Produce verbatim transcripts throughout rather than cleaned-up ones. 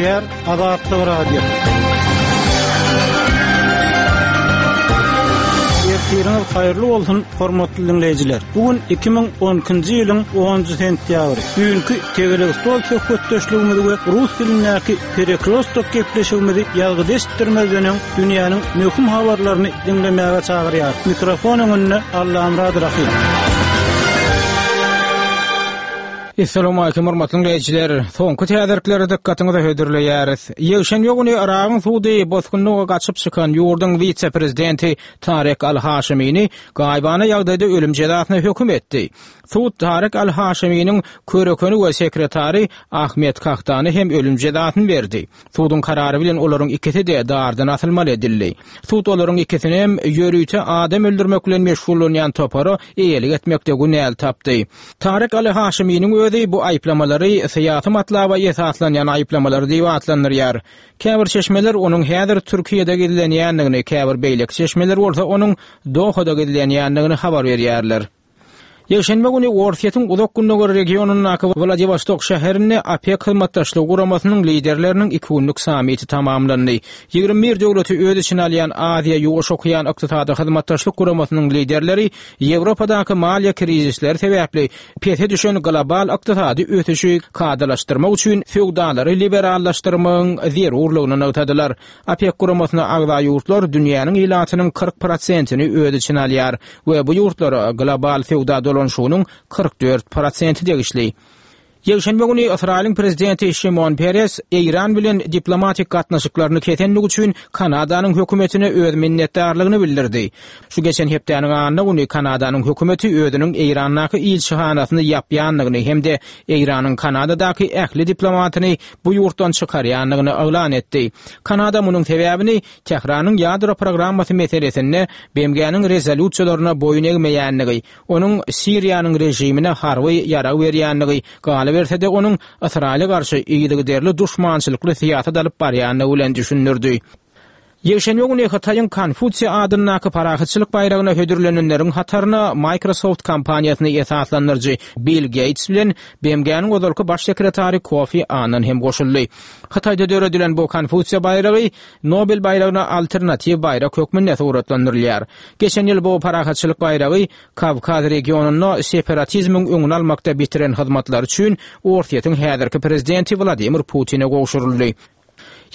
Gepleýär Azatlyk Radiosy. Ertiriňiz haýyrly bolsun, hormatly diňleýjiler. Bu gün iki müň on ikinji ýylyň onunjy sentýabry. Düýnki tegelek stol söhbetdeşligimizi we rus dilindäki perekrostok gepleşigimizi ýazgyda eşitdirmezden öň dünýäniň möhüm habarlaryny diňlemäge çagyrýar. Mikrofon öňünde Allamurad Rahim. Assalamu alaykum hormatly dinleýjiler. Soňky täzelikleri dikkatiňize hödürleýäris. Ýekşenbe güni Yragyň sudy bosgunlyga gaçyp çykan ýurduň wise-prezidenti Tarek Al-Haşimini gaýybana ýagdaýda ölüm jezasyna höküm etdi. Sud Tarek Al-Haşiminiň körekeni we sekretary Ahmet Kahtany hem ölüm jezasyny berdi. Suduň karary bilen olaryň ikisi-de dardan asylmaly edildi. Sud olaryň ikisini hem ýörite adam öldürmek bilen meşgullanýan topara eýelik etmekde günäli tapdy. Tarek Al-Haşiminiň özi bu aýyplamalary syýasy matlaba esaslanýan aýyplamalary diýip atlandyrýar. Käbir çeşmeler onuň häzir Türkiýede gizlenýändigini, käbir beýleki çeşmeler bolsa onuň Dohada gizlenýändigini habar berýärler. Ýekşenbe güni Orsýetiň uzak gündogar regionyndaky Wladivostok şäherinde OPEC hyzmatdaşlygy guramasynyň liderleriniň iki günlük sammiti tamamlandy. Ýigrimi bir döwleti öz içine alýan Aziýa Ýuwaş okean ykdysady hyzmatdaşlyk guramasynyň liderleri Ýewropadaky maliýe krizisleri sebäpli pese düşen global ykdysady ösüşi kadalaşdyrmak üçin söwdalary liberallaşdyrmagyň zerurlygyny nygtadylar. OPEC guramasyna agza ýurtlar dünýäniň ilatynyň kyrk prosentini öz içine alýar we bu ýurtlara global söwda dolanşygynyň kyrk dört prosenti degişli. Ýekşenbe güni Ysraýylyň prezidenti Şimon Peres Eýran bilen diplomatik gatnaşyklaryny kesenligi üçin Kanadanyň hökümetine öz minnetdarlygyny bildirdi. Şu geçen hepdäniň anna güni Kanadanyň hökümeti özüniň Eýrandaky ilçihanasyny ýapýandygyny hem-de Eýranyň Kanadadaky ähli diplomatyny bu ýurtdan çykarýandygyny yglan etdi. Kanada munuň sebäbini Tähranyň ýadro programmasy meselesinde B M G-niň rezolýusiýalaryna boýun egmeýändigi, onuň Siriýanyň režimine harby ýarag berýändigi, galyberse-de onuň Ysraýyla garşy yzygiderli duşmançylykly syýasat alyp barýandygy bilen düşündirdi. Ýekşenbe güni Hytaýyň Konfusiýa adyndaky parahatçylyk baýragyna hödürlenenleriň hataryna Microsoft kompaniýasyny esaslandyryjy Bill Gates bilen B M G-niň ozalky baş sekretary Kofi Annan hem goşuldy. Hytaýda döredilen bu Konfusiýa baýragy Nobel baýragyna alternatiw baýrak hökmünde suratlandyrylýar. Geçen ýyl bu parahatçylyk baýragy Kawkaz regionynda separatizmiň öňüni almakda bitiren hyzmatlary üçin Orsýetiň häzirki prezidenti Wladimir Putine gowşuryldy.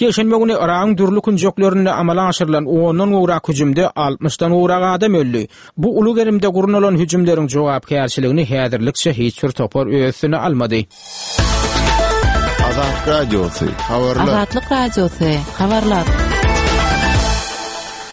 Ýekşenbe güni Yragyň dürli künjeklerinde amala aşyrylan ondan gowrak hüjümde altmyşdan gowrak adam öldi. Bu uly gerimde gurnalan hüjümleriň jogapkärçiligini häzirlikçe hiç bir topar öz üstüne almady. Azatlyk Radiosy, habarlar. Azatlyk Radiosy, habarlar.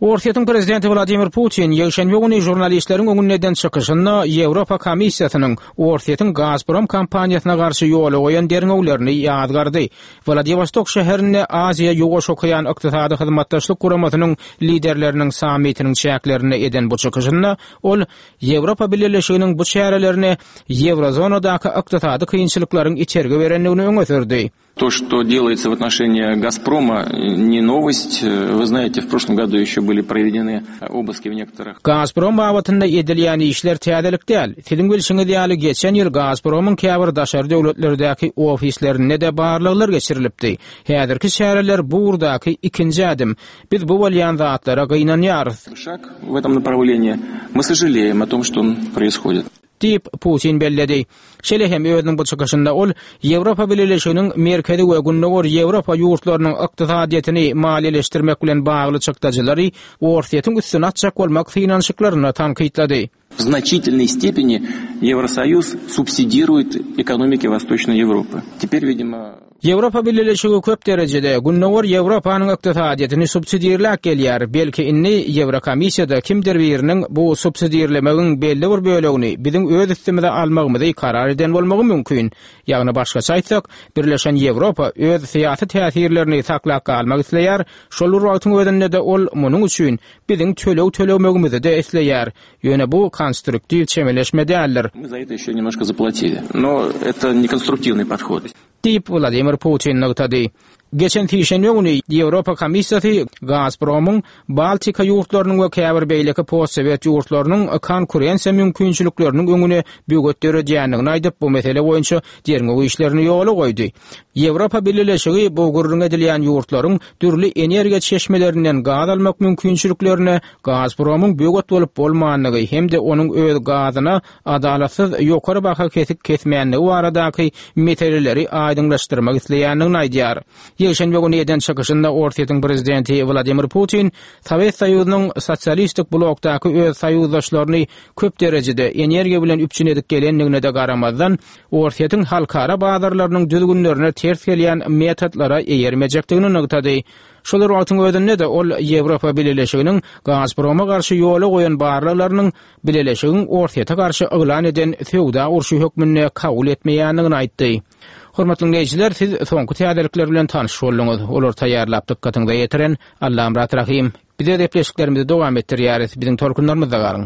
Orsýetiň prezidenti Wladimir Putin ýekşenbe güni žurnalistleriň öňünde eden çykyşynda Ýewropa Komissiýasynyň Orsýetiň Gazprom kompaniýasyna garşy ýola goýan derňewlerini ýazgardy. Wladivostok şäherinde Aziýa Ýuwaş okean ykdysady hyzmatdaşlyk guramasynyň liderleriniň sammitiniň çäklerinde eden bu çykyşynda ol Ýewropa Bileleşiginiň bu çärelerini Ýewrozonadaky ykdysady kynçylyklaryň içergi berendigini öňe sürdi. То, что делается в отношении Газпрома, не новость. Вы знаете, в прошлом году еще были проведены обыски в некоторых... Газпром babatynda edilýän işler täzelik däl. Siziň bilşiňiz ýaly geçen ýyl Gazpromyň käbir daşary döwletlerdäki ofislerinde-de barlaglar geçirilipdi. Häzirki çäreler bu ugurdaky ikinji ädim. Biz bu bolýan zatlara gynanýarys. Шаг в этом направлении. Мы сожалеем о том, что он происходит. Diýip Putin belledi. Şeýle hem özüniň bu çykyşynda ol Ýewropa Bileleşiginiň merkezi we gündogar Ýewropa ýurtlarynyň ykdysadyýetini maliýeleşdirmek bilen bagly çykdajylary Orsýetiň üstüne atjak bolmak synanyşyklaryny tankytlady. В значительной степени Евросоюз субсидирует экономики Восточной Европы. Теперь, видимо, Ýewropa Bileleşigi köp derejede Gündogar Ýewropanyň ykdysadyýetini subsidirläp gelýär. Belki indi Ýewrokomissiýada kimdir biriniň bu subsidirlemegiň belli bir bölegini biziň öz üstümize almagymyzy karar eden bolmagy mümkin. Ýagny başgaça aýtsak, Birleşen Ýewropa öz syýasy täsirlerini saklap galmak isleýär. Şol bir wagtyň özünde de ol munuň üçin biziň töleg tölemegimizi de isleýär. Ýöne bu konstruktiw çemeleşme däldir. Мы за это еще немножко заплатили. Но это не конструктивный подход. Diýip Wladimir Putin nygtady. Geçen sişenbe güni Ýewropa Komissiýasy Gazpromyň Baltika ýurtlarynyň we käbir beýleki postsowet ýurtlarynyň konkurensiýa mümkinçilikleriniň öňüne böwet döredýändigini aýdyp, bu mesele boýunça derňew işlerini ýola goýdy. Ýewropa Bileleşigi bu gürrüň edilýän ýurtlaryň dürli energiýa çeşmelerinden gaz almak mümkinçiliklerine Gazpromyň böwet bolup bolmandygy hem-de onuň öz gazyna adalatsyz ýokary baha kesik kesmänligi baradaky meseleleri aýdyňlaşdyrmak isleýändigini aýdýar. Ýekşenbe güni eden çykyşynda Orsýetiň prezidenti Wladimir Putin Sowet Soýuzynyň sosialistik blokdaky öz soýuzdaşlaryny köp derejede energiýa bilen üpjün edip gelendigine-de garamazdan, Orsýetiň halkara bazarlarynyň düzgünlerine ters gelýän metodlara eýermejekdigini nygtady. Şol bir wagtyň özünde-de ol Ýewropa Bileleşiginiň Gazproma garşy ýola goýan barlaglarynyň Bileleşigiň Orsýete garşy yglan eden söwda urşy hökmünde kabul etmeýändigini aýtdy. Hormatly diňleýjiler, siz soňky täzelikler bilen tanyş bolduňyz. Olary taýýarlap dykgatyňyza ýetiren Allamyrat Rahym. Biz öz gepleşiklerimizi dowam etdirýäris. Biziň tolkunlarymyzda galyň.